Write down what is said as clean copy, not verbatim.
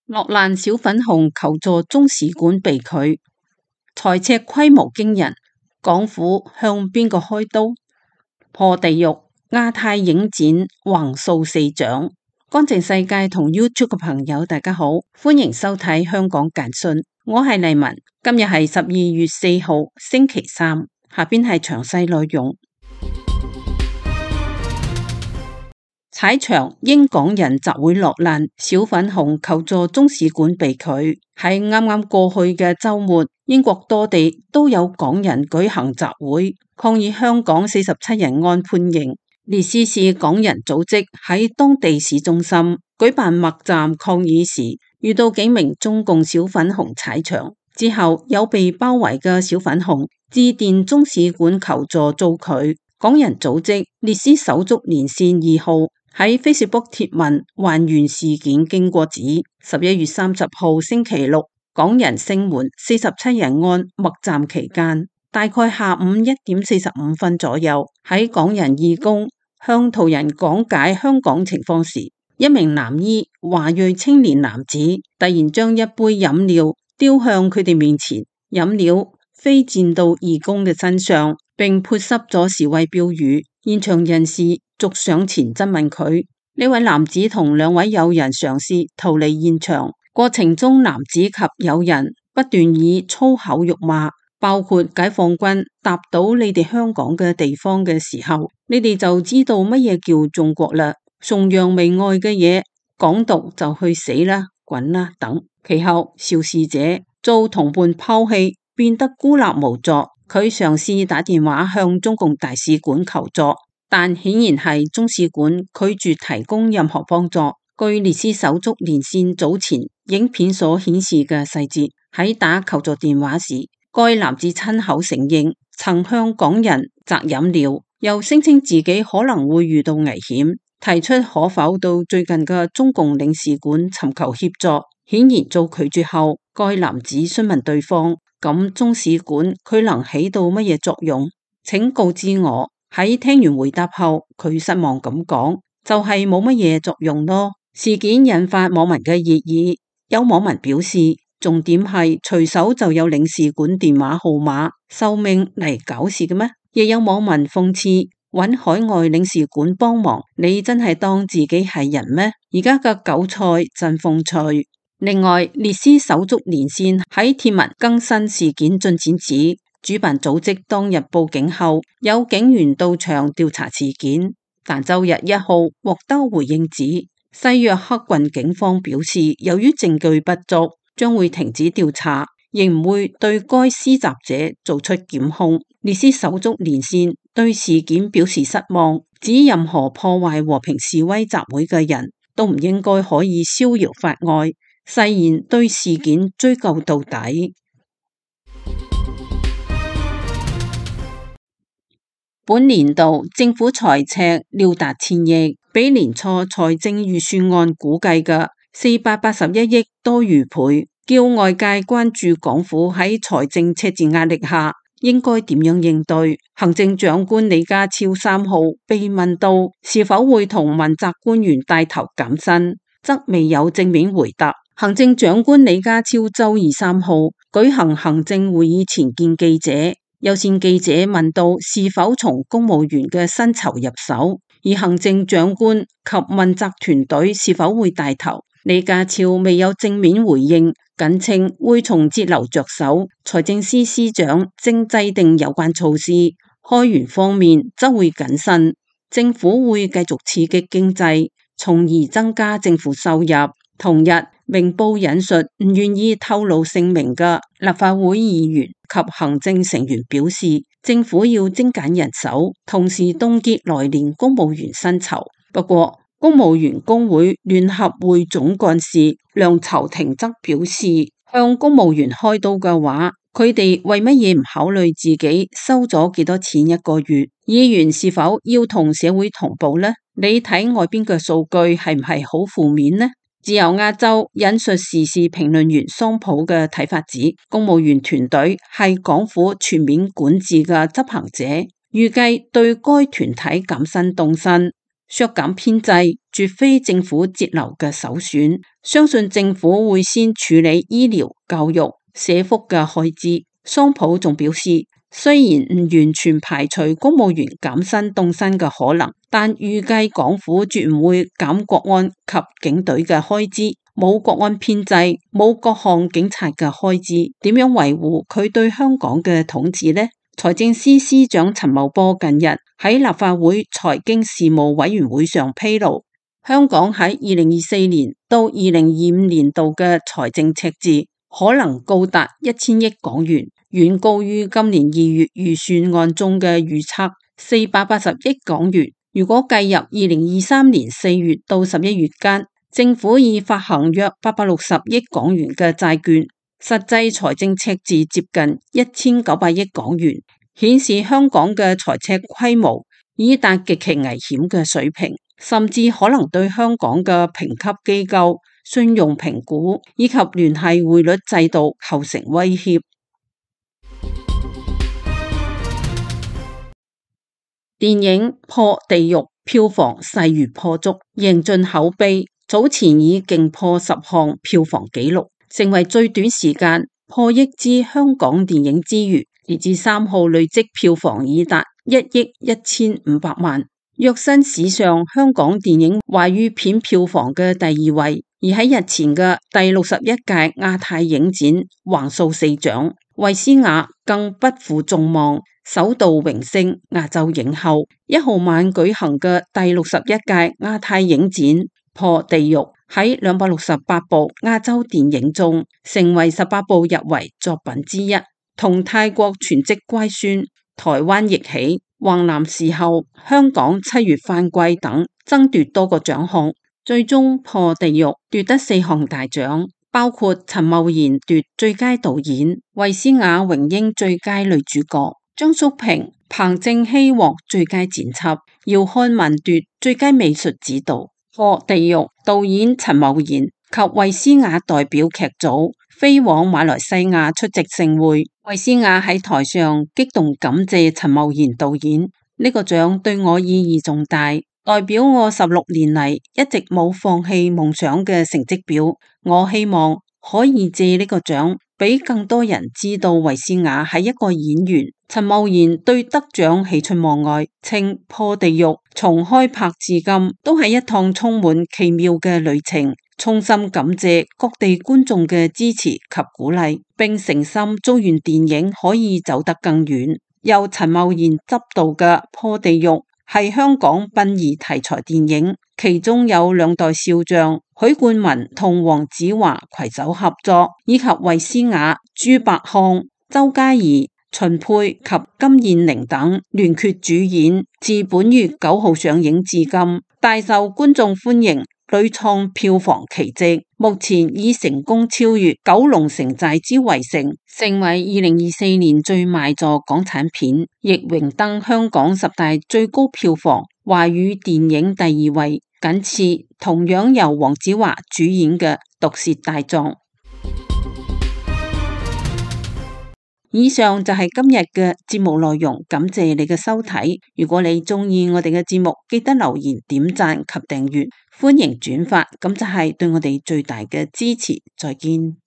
落難小粉紅求助中使館被拒，財赤規模驚人，港府向邊個開刀？破地獄，亞太影展橫掃4獎。乾淨世界同 YouTube 嘅朋友大家好，歡迎收睇香港簡訊，我係麗文。今日係12月4號星期三，下邊係詳細內容。踩場英港人集會落難，小粉紅求助中使館被拒。喺啱啱過去嘅週末，英國多地都有港人舉行集會，抗議香港47人案判刑。列斯市港人組織喺當地市中心舉辦默站抗議時，遇到幾名中共小粉紅踩場，之後有被包圍嘅小粉紅致電中使館求助遭拒。港人組織列斯手足連線2號喺 Facebook 貼文還原事件經過，指11月30號星期六，港人聲援47人案默站期間，大概下午1點45分左右，喺港人義工向途人講解香港情況時，一名藍衣華裔青年男子突然將一杯飲料丟向佢哋面前，飲料飛濺到義工嘅身上，並潑濕咗示威標語。現場人士逐上前質問佢，呢位男子同2位友人嘗試逃離現場，過程中男子及友人不斷以粗口辱罵，包括解放軍踏到你哋香港嘅地方嘅時候，你哋就知道乜嘢叫中國啦，崇洋媚外嘅嘢，港獨就去死啦，滾啦等。其後肇事者遭同伴拋棄，變得孤立無助，佢嘗試打電話向中共大使館求助，但顯然係中使館拒絕提供任何幫助。據列斯手足連線早前影片所顯示嘅細節，喺打求助電話時，該男子親口承認曾向港人擲飲料，又聲稱自己可能會遇到危險，提出可否到最近嘅中共領事館尋求協助。顯然遭拒絕後，該男子詢問對方，咁中使館佢能起到乜嘢作用？請告知我。喺聽完回答後，佢失望咁講，就係冇乜嘢作用咯。事件引發網民嘅熱議，有網民表示，重點係隨手就有領事館電話號碼，受命嚟搞事嘅咩？亦有網民諷刺，揾海外領事館幫忙，你真係當自己係人咩？而家嘅韭菜真風趣。另外，列斯手足連線喺貼文更新事件進展指，主辦組織當日報警後，有警員到場調查事件，但周日1號獲得回應指，西約克郡警方表示，由於證據不足，將會停止調查，亦唔會對該施襲者做出檢控。列斯手足連線對事件表示失望，指任何破壞和平示威集會嘅人都唔應該可以逍遙法外，誓言對事件追究到底。本年度政府財赤料達1000億，比年初財政預算案估計嘅481億多逾倍，叫外界關注港府喺財政赤字壓力下應該點樣應對。行政長官李家超3號被問到是否會同問責官員帶頭減薪，則未有正面回答。行政長官李家超周二3號舉行行政會議前見記者，有線記者問到是否從公務員嘅薪酬入手，而行政長官及問責團隊是否會帶頭。李家超未有正面回應，僅稱會從節流着手，財政司司長正制定有關措施。開源方面則會謹慎，政府會繼續刺激經濟，從而增加政府收入。同日，明報引述唔願意透露姓名嘅立法會議員及行政成員表示，政府要精簡人手，同時凍結來年公務員薪酬。不過，公務員工會聯合會總幹事梁籌庭則表示，向公務員開刀嘅話，佢哋為乜嘢唔考慮自己收咗幾多錢一個月？議員是否要同社會同步呢？你睇外邊嘅數據係唔係好負面呢？自由亞洲引述時事評論員桑普嘅睇法指，公務員團隊係港府全面管治嘅執行者，預計對該團體減薪凍薪、削減編制，絕非政府節流嘅首選。相信政府會先處理醫療、教育、社福嘅開支。桑普仲表示，雖然唔完全排除公務員減薪凍薪嘅可能，但預計港府絕唔會減國安及警隊嘅開支。冇國安編制，冇各項警察嘅開支，點樣維護佢對香港嘅統治呢？財政司司長陳茂波近日喺立法會財經事務委員會上披露，香港喺2024年到2025年度嘅財政赤字可能高達1000億港元，遠高於今年2月預算案中嘅預測480億港元。如果計入2023年4月到11月間，政府已發行約860億港元嘅債券，實際財政赤字接近1900億港元，顯示香港嘅財赤規模已達極其危險嘅水平，甚至可能對香港嘅評級機構、信用評估以及聯繫匯率制度構成威脅。電影《破地獄》票房勢如破竹，贏盡口碑，早前已勁破10項票房紀錄，成為最短時間破億支香港電影之餘，截至3號累積票房已達1億1500萬，躍身史上香港電影華語片票房嘅第2位。而喺日前嘅第61屆亞太影展橫掃4獎，衛詩雅更不負眾望，首度榮升亞洲影后。1號晚舉行嘅第61屆亞太影展破地獄，喺268部亞洲電影中，成為18部入圍作品之一，同泰國全職乖孫、台灣逆起、橫南時候、香港7月返歸等爭奪多個獎項。最終破地獄奪得4項大獎，包括陳茂賢奪最佳導演，衛詩雅榮膺最佳女主角，張淑平、彭正熙獲最佳剪輯，姚漢文奪最佳美術指導。破地獄導演陳茂賢及衛詩雅代表劇組飛往馬來西亞出席盛會，衛詩雅喺台上激動感謝陳茂賢導演，呢個獎對我意義重大，代表我16年嚟一直冇放棄夢想嘅成績表。我希望可以借呢個獎俾更多人知道衛詩雅係一個演員。陳茂賢對得獎喜出望外，稱破地獄從開拍至今都係一趟充滿奇妙嘅旅程，衷心感謝各地觀眾嘅支持及鼓勵，並誠心祝願電影可以走得更遠。由陳茂賢執導嘅破地獄係香港殯儀題材電影，其中有2代少將許冠文同黃子華攜手合作，以及衛詩雅、朱百康、周嘉怡、秦沛及金燕玲等聯袂主演，自本月9號上映至今，大受觀眾歡迎，屢創票房奇蹟，目前已成功超越《九龍城寨之圍城》，成為2024年最賣座港產片，亦榮登香港10大最高票房華語電影第2位，僅次同樣由黃子華主演嘅《毒舌大狀》。以上就係今日嘅節目內容，感謝你嘅收睇。如果你鍾意我哋嘅節目，記得留言、點讚及訂閱，歡迎轉發，咁就係對我哋最大嘅支持。再見。